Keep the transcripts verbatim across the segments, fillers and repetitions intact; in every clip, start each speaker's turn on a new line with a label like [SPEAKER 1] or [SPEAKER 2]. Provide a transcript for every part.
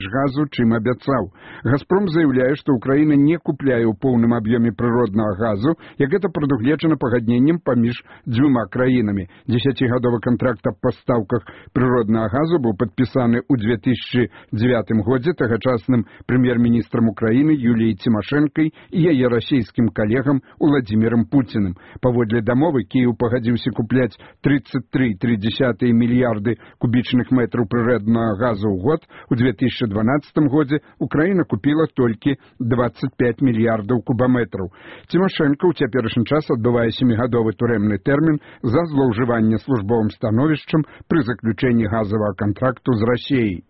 [SPEAKER 1] газу, чым абяцаў. «Газпром» заяўляе, што Украіна не купляе ў поўным аб'ёме прыроднага газу, як гэта прадугледжана пагадненнем паміж дзвюма краінамі. Дзесяцігадовы кантракт аб пастаўках прыроднага газу быў падпісаны ў две тысячы дзевятым годзе тагачасным прэм'ер-міністрам Украіны Юліяй Цімашэнкай і яе расійскім калегам Уладзімірам Пуціным. Паводле дамовы Кіеў пагадзіўся купляць тридцать три целых три десятых мільярды кубічных метраў прыроднага газу ў год. У две тысячи дванадцатым годзе Украіна купіла толькі двадцать пять мільярдаў кубаметраў. Цімашэнка ў цяперашні час адбывае сямігадовы турэмны тэрмін за злоўжыванне службовым становішчам пры заключэнні газавага кантракту з Расіяй.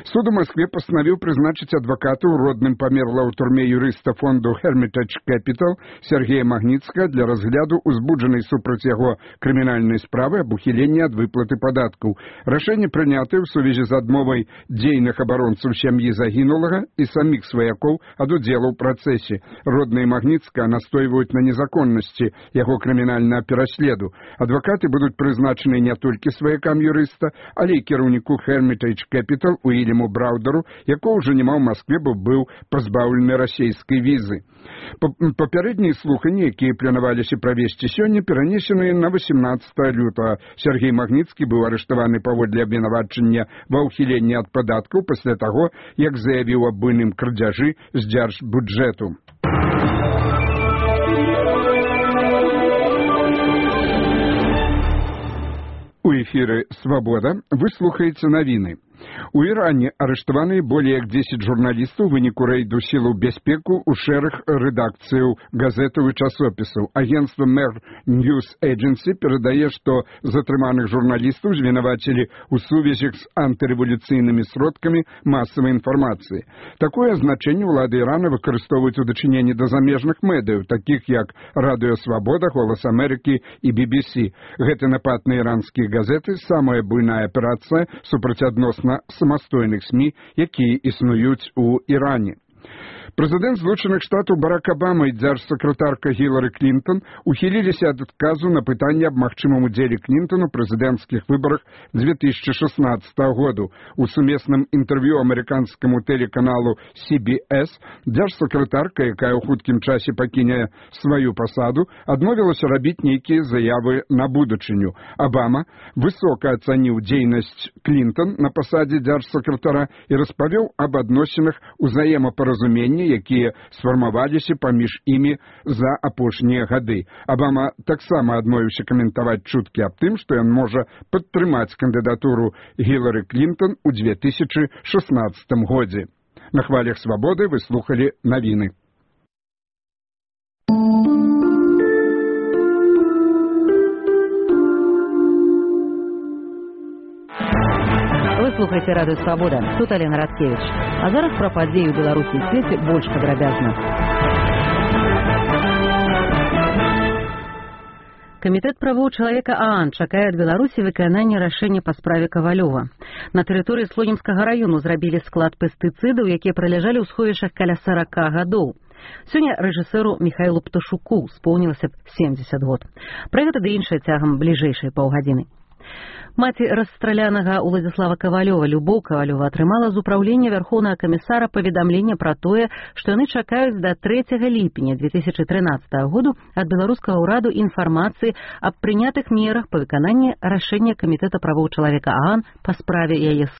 [SPEAKER 1] Суд у Москве постановил призначить адвоката у родным померла ў турме юрыста фонду Hermitage Capital Сергея Магніцкага для разгляду узбуджанай супраць яго крымінальнай справы аб ухіленні ад выплаты падаткаў. Рашэнне прынятае ў сувязі з адмовай дзейных абаронцаў сям'і загінулага і саміх сваякоў ад удзелу ў працэсе. Родныя Магніцкага настойваюць на незаконнасці яго крымінальнага пераследу. Адвакаты будуць прызначаны не толькі сваякам юрыста, але і кіраўніку Hermitage Capital Уильяму Браўдеру, якого ўжо няма ў Маскве, бо быў пазбаўлены расійскай візы. Папярэднія слуханні, якія планаваліся правесці сёння, перанесеныя на восемнадцатае лютага. Сергей Магніцкі быў арыштаваны паводле абвінавачання ва ўхіленні ад падаткаў пасля таго, як заявіў аб буйным крадзяжы з дзяржбюджэту. У эфіры «Свобода» вы слухаеце навіны. У Іране арыштаваны более як дзесяць журналістаў у выніку рэйду сілаў бяспеку ў шэраг рэдакцыяў газетаў і часопісаў. Агенцтва Mer News Agency перадае, што затрыманых журналістаў звінавацілі ў сувязях з антырэвалюцыйнымі сродкамі масавай інфармацыі. Такое азначэнне ўлады Ірана выкарыстоўваюць у дачыненні да замежных медыяў, такіх як Радыё Свабода, Голас Амерыкі і би би сі. Гэты напад на іранскія газеты – самая буйная аперацыя супраць адносна самастойных СМІ, якія існуюць у Іране. Прэзідэнт Злучаных Штатаў Барак Абама і дзяржсакратарка Гілары Клінтон ухіліліся ад адказу на пытанне аб магчымым удзеле Клінтон у прэзідэнцкіх выбарах две тысячи шестнадцатого году. У сумесным інтэрв'ю амерыканскаму тэлеканалу си би эс дзяржсакратарка, якая ў хуткім часе пакіне сваю пасаду, адмовілася рабіць нейкія заявы на будучыню. Абама высока ацаніў дзейнасць Клінтон на пасадзе дзяржсакратара і распавёў аб адносінах узаемапаразумення, якія сфармаваліся паміж імі за апошнія гады. Абама таксама адмовіўся каментаваць чуткі аб тым, што ён можа падтрымаць кандыдатуру Гілары Клінтон у две тысячи шестнадцатым годзе. На хвалях свабоды вы слухалі навіны.
[SPEAKER 2] Вы слухаеце радыё «Свабода». Тут Алена Радкевіч. А зараз пра падзеі ў Беларусі і свеце больш падрабязна. Камітэт правоў чалавека ААН чакае ад Беларусі выканання рашэння па справе Кавалёва. На тэрыторыі Слонімскага раёну зрабілі склад пестыцыдаў, якія праляжалі ў сховішчах каля сорока гадоў. Сёння рэжысэру Міхаілу Пташуку споўнілася б семьдесят год. Пра гэта ды іншае цягам бліжэйшай паўгадзіны. Маці расстралянага Уладзіслава Кавалёва Любоў Кавалёва атрымала з упраўлення Вярхоўнага камісара паведамленне пра тое, што яны чакаюць да трэцяга ліпеня две тысячи трынаццатага году ад беларускага ўраду інфармацыі аб прынятых мерах па выкананні рашэння Камітэта правоў чалавека ААН па справе яе